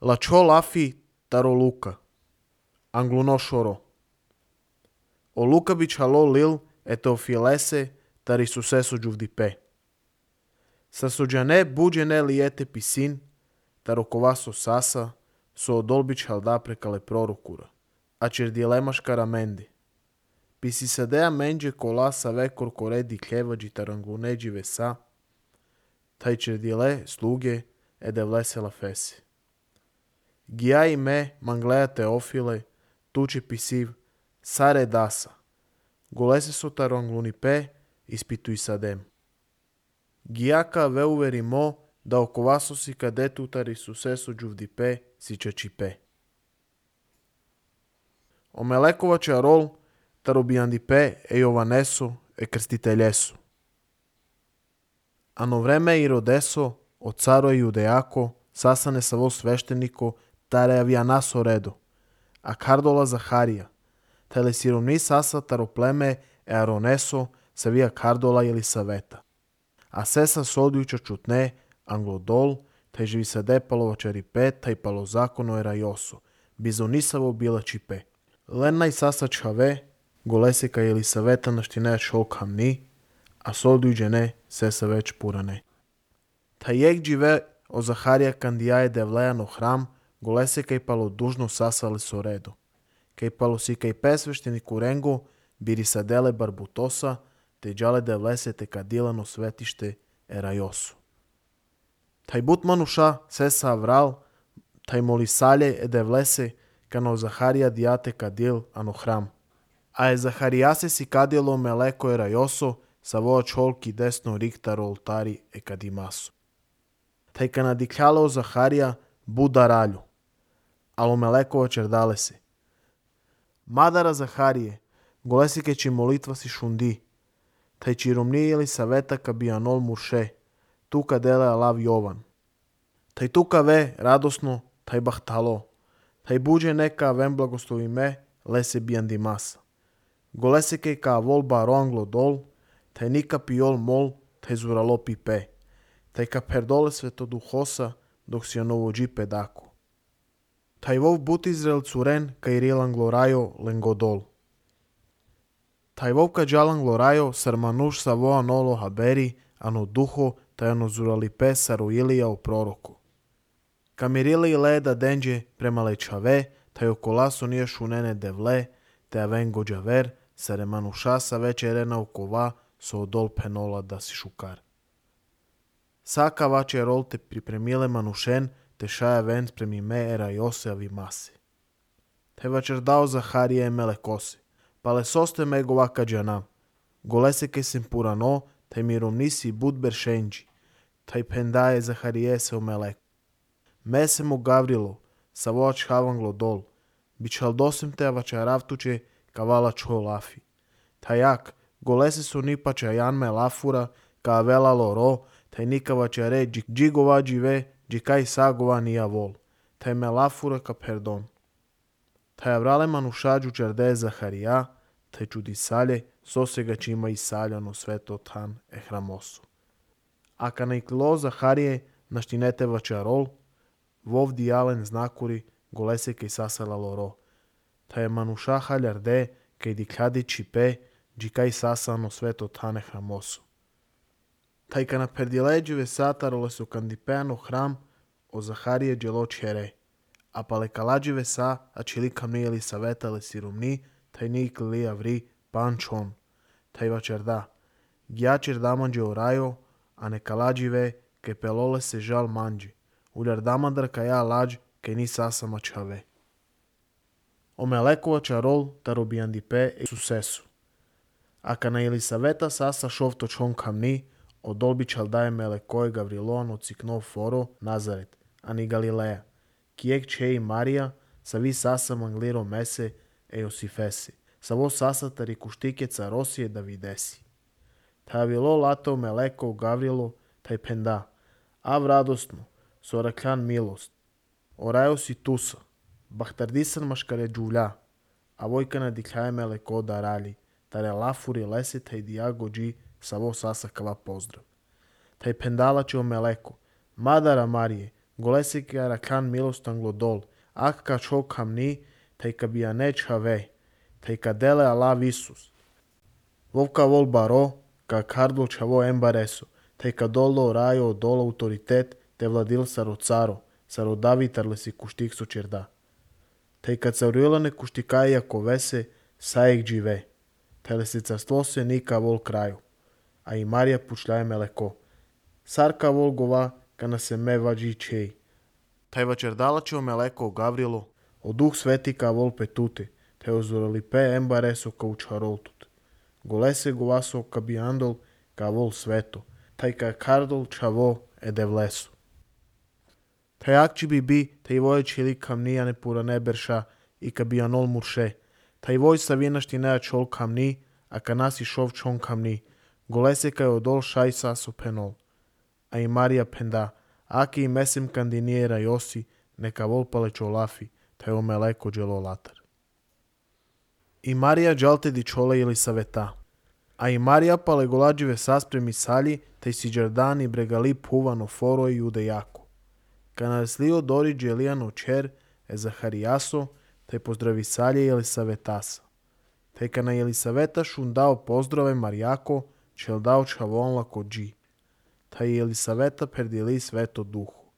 Лачо лафи таро лука. Англуно шоро. O Luca bichaló lil eteofilese tari sucesso giuvdipé. Sasojane bujene liete pisin, taro kovaso sasa, so odol bichalda prekale prorokura. Acer dilemaš karamendi. Pisisadea menge kola save korkore di keva de taranglune de vesa, taicer dile sluge edevlese la fesi. Giai me manglea teofile, tuče pisiv, sare dasa. Golese so taranglunipe, ispitui sadem. Giaca veuverimo da ocovaso si cadetu tari sucesso giuvdipe si chachipe. O melekova charol tarobiandipe e jovaneso e krstiteljeso. Ano vreme irodeso, o caro e judeako, sasane savo svešteniko, tare avianaso redo, a kardola Zaharija, tele siromni sasa taropleme e aroneso, savia kardola Jelisaveta. A sesa sodjuča čutne, anglodol, taj živi se depalo čaripe, taj palo zakono era joso, bizonisavo bila čipe. Lenna i sasa čave, golesika Jelisaveta naštine šol kamni, a sodjuđene sesa već purane. Taj jek džive o Zaharija kandijaje devlejano hram, golesika i palo dužno sasali so redo. Kaj palo si kaj pesvešteniku rengo, biri sadele barbutosa, te džale devlese te kadilano svetište era josu. Taj but manuša sesa avral, taj molisalje e devlese kano Zaharija diate kadil ano hram. A e Zaharijase si kadilo meleko era joso, sa voa čolki desno riktaro oltari e kadimaso. Taj kana dikljalo Zaharija buda ralju, alo melekova čerdale se. Madara Zaharije, golesike či molitva si šundi, taj čiromni Jelisaveta ka bianol murše, tuka dele alav Jovan. Taj tuka ve radosno, taj bahtalo, taj buđe neka vem blagoslovi me, lese biandimasa. Golesike ka vol baronglo dol, taj nika piol mol, taj zuralo pipe, taj ka perdole svetoduhosa, dok si anovo džipe dako. Taj vov but Izrael curen ka irilan glorajo lengodol. Taj vov ka džalan glorajo sarmanuš sa voa nolo haberi, ano duho, taj ano zuralipe saruilija u proroku. Kamirili leda denđe prema lečave, taj okolaso nije šunene devle, te avengo džaver, saremanuša sa već erena ukova, so odol penola da si šukar. Saka vače rol te pripremile manušen, te šaja ven spremi me era Jose avi masi. Te vačer dao Zaharije e melekose, pa le soste me govaka džanam. Golese ke sem purano, te miromnisi budber šenđi, taj pendaje Zaharije se o meleku. Me se mu Gavrilo, sa voač havanglo dol, bičal dosem te vačaravtuče kavala čo lafi. Tajak, golese su nipa čajan me lafura, ka avela loro, taj nika vačare džigova džive, džikaj sagova nija vol, taj me lafura ka perdon. Taj avrale manušađu čarde Zaharija, taj čudisalje, sosega čima i saljano sveto tan e hramosu. A ka naiklo Zaharije naštinete vačarol, vov dijalen znakuri golese kaj sasala loro. Taj manuša haljarde kaj dikladi čipe, džikaj sasano sveto tane hramosu. Taj ka na perdileđive satarole su kandipeano hram o Zaharije dželo čere, a pa le kalađive sa, a čili kamni Jelisaveta le sirumni, taj nik li avri pančon, taj vačerda. Gjačer damanđe orajo, a ne kalađive, ke pelole se žal manđi, uljar damandar ka ja lađ, ke ni sasama čave. O melekova čarol tarobiandipe e sucesu. A ka na Jelisaveta sasa šovto čon kamni, o dolbi čaldaje melekoje Gavriloan ociknov foro Nazaret, ani Galileja, kijek čeji Marija, sa vi sasa mangliro mese e Josifesi, sa vo sasa tari kuštike carosije da videsi. Ta avilo latao meleko Gavrilo, taj penda, av radosno, sorakljan milost, orajo si tusa, bahtardisan maškare džulja, a vojka na dikljaje meleko da rali, tare lafuri lese taj diago dži, sa vo sasa kava pozdrav. Taj pendala će o meleko, Madara Marije, Golesi ka rakan milostan glodol, ak ka čok hamni, taj ka bianeč have, taj ka dele alav Isus. Vovka vol baro, ka kardol čavo embareso, taj ka dolo rajo dolo autoritet, te vladil saro caro, saro David arlesi kuštik so čerda. Taj ka caurilane kuštikaja jako vese, sajek džive. Tele se carstvo se nika vol kraju. A i Marija pušljaje meleko. Sarka vol gova, kana se me vađi čej. Taj vačerdala će o meleko o Gavrilu, o duh sveti ka vol petute, te ozorali pe embareso ka učaroltut. Golese govaso ka biandol ka vol sveto, taj ka kardol čavo edevleso. Taj akči bi, taj voje čili kamni ane pura neberša i ka bianol murše. Taj voj savinašti nea čol kamni, a ka nasi šov čon kamni. Golese ka je odol šaj saso penol. A i Marija penda, aki i mesim kandiniera josi, neka volpale čolafi, taj o meleko dželo latar. I Marija džalte di čole ili saveta. A i Marija pale golađive saspremi salji, taj si džardani bregali puvano foro i jude jako. Ka naslio dori dželijano čer, e Zaharijaso, taj pozdravi salje ili savetasa. Taj ka na Jelisaveta šun dao pozdrave Marijako, čel dao čavonla ko dži. Taj Jelisaveta perdili sveto duhu.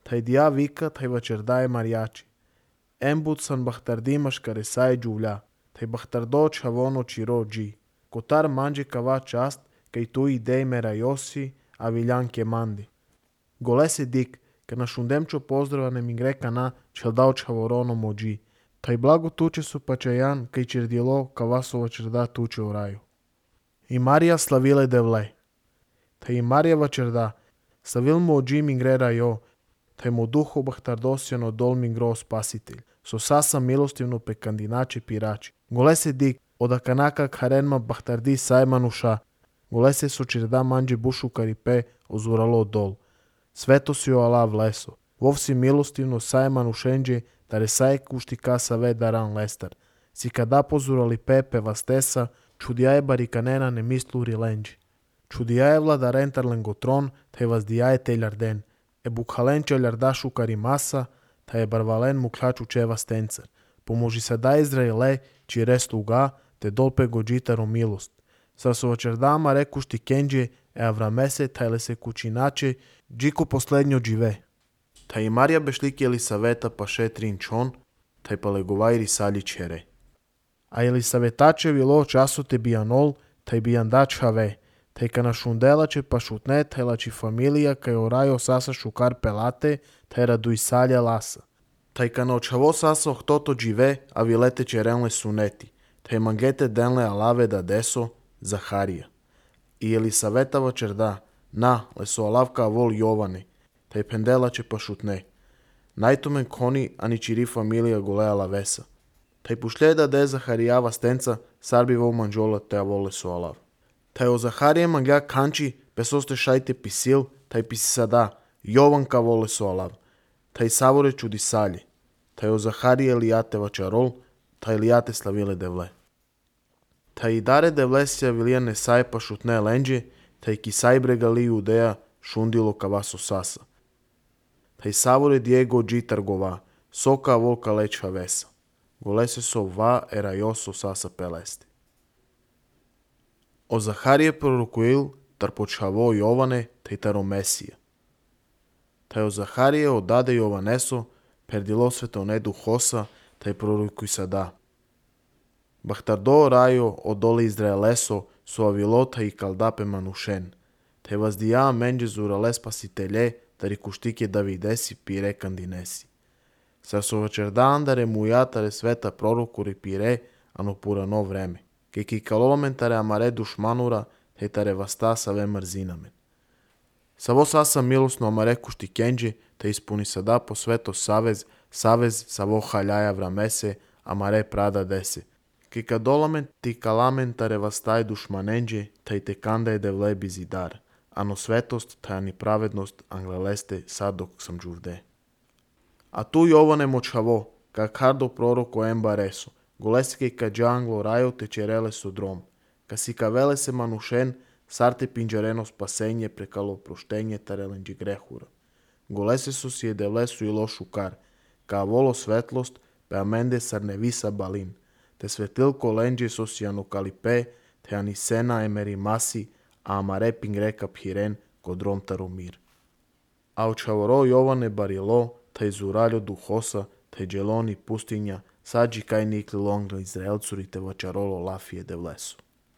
Taj dija vika, taj vačerdaje Marijači. Embud san bahtardimaš kare saj džuvlja, taj bahtardo čavono čiro dži. Kotar manđe kava čast, kaj tu idej mera josi, a viljanke mandi. Golese dik, ka na šundemčo pozdrava mi greka na, čel dao čavorono mođi. Taj blago tuče su pačajan, kaj čerdilo, kavasova čerda tuče u raju. I Marija slavile devle. Taj i Marija vačerda, slavil mu ođi mingrera jo, taj mu duho bahtardosjano dol mingro spasitelj, so sasa milostivno pe kandinače pirači. Golese dik, oda kanaka karenma bahtardi sajmanuša, golese so čerda manđe bušu karipe ozuralo dol. Sveto si o alav leso, vov si milostivno sajmanušenđe, tare saj kuštika save daran lestar. Si kada pozurali pepe vastesa, čudijaje barikanena ne mislu rilenđi. Čudijaje vlada rentar lengotron, te vazdijaje teljarden. E bukhalenče ljardašu karimasa, ta je barvalen muklaču čeva stencar. Pomoži se da Izraele, či restu ga, te dolpe gođitaro milost. Sa sovačardama rekušti kenđe, e avramese, tajle se kućinače, džiku poslednjo džive. Ta i Marija bešlik Jelisaveta pa šetrin čon, taj pa legovajri salji čere. A Jelisavetače vilo času te bijanol, taj bijandač have, taj ka na šundelače pa šutne, taj lači familija kaj orajo sasa šukar pelate, taj radu i salja lasa. Taj ka na očavo sasa ohtoto džive, a vilete čerenle suneti, taj mangete denle alave da deso, Zaharija. I Jelisaveta vačerda, na, leso alavka vol Jovane, taj pendelače pa šutne. Najtomen koni ani čiri familija golea lavesa. Taj pušljeda de Zaharijava stenca, sarbi vol manžola te avole so alav. Taj o Zaharije mangja kanči, pesoste šajte pisil, taj pisi sada, Jovanka vole so alav. Taj savore čudi salje. Taj o Zaharije lijate vačarol, taj lijate slavile devle. Taj i dare devlesija vilijane saj pa šutne lenđe, taj kisaj bregali judeja šundilo kavaso sasa. Taj savore Diego džitar gova, soka volka lečha vesa. Golese so va erajoso sasa pelesti. O Zaharije prorokuil tar počavo Jovane taj taro Mesija. Taj o Zaharije odade Jovaneso, perdilo svetonedu hosa, taj prorokuj sada. Bahtardo rajo odole Izraeleso, so avilota i kaldape manušen. Te vazdija menđe zurale spasitelje, tari kuštike Davidesi pire kandinesi. Sa so večerda andare mujatare sveta prorokuri pire, ano purano vreme. Ke ki kalomentare amare dušmanura, te tare vastasa ve mrzinamen. Savo sasa milosno amare kušti kenđe, te ispuni sada po sveto savez savo haljaja vramese, amare prada dese. Ke kadolamen ti kalamentare vastaj dušmanenđe, te te kandaje devle bizidar. Ano svetost, ta ani pravednost, angleleste sad dok sam džuvde. A tu Jovane močavo, ka kardo proroko embareso, golesike ka džanglo rajo te čerele su drom, ka si ka vele se manušen, sarte pinđareno spasenje prekalo proštenje tarelenđi grehura. golesesos je devlesu i lošu kar, ca volo svetlost, pe amende sarnevisa balin, te svetilko lenđesos janukalipe, te anisena emerimasi, a amare pingreka phiren kodrom tarumir. A očavoro Jovane barilo, taj zuraljo duhosa, taj dželoni pustinja, sađi kaj nikli longla Izraelcuri te vačarolo lafije devlesu.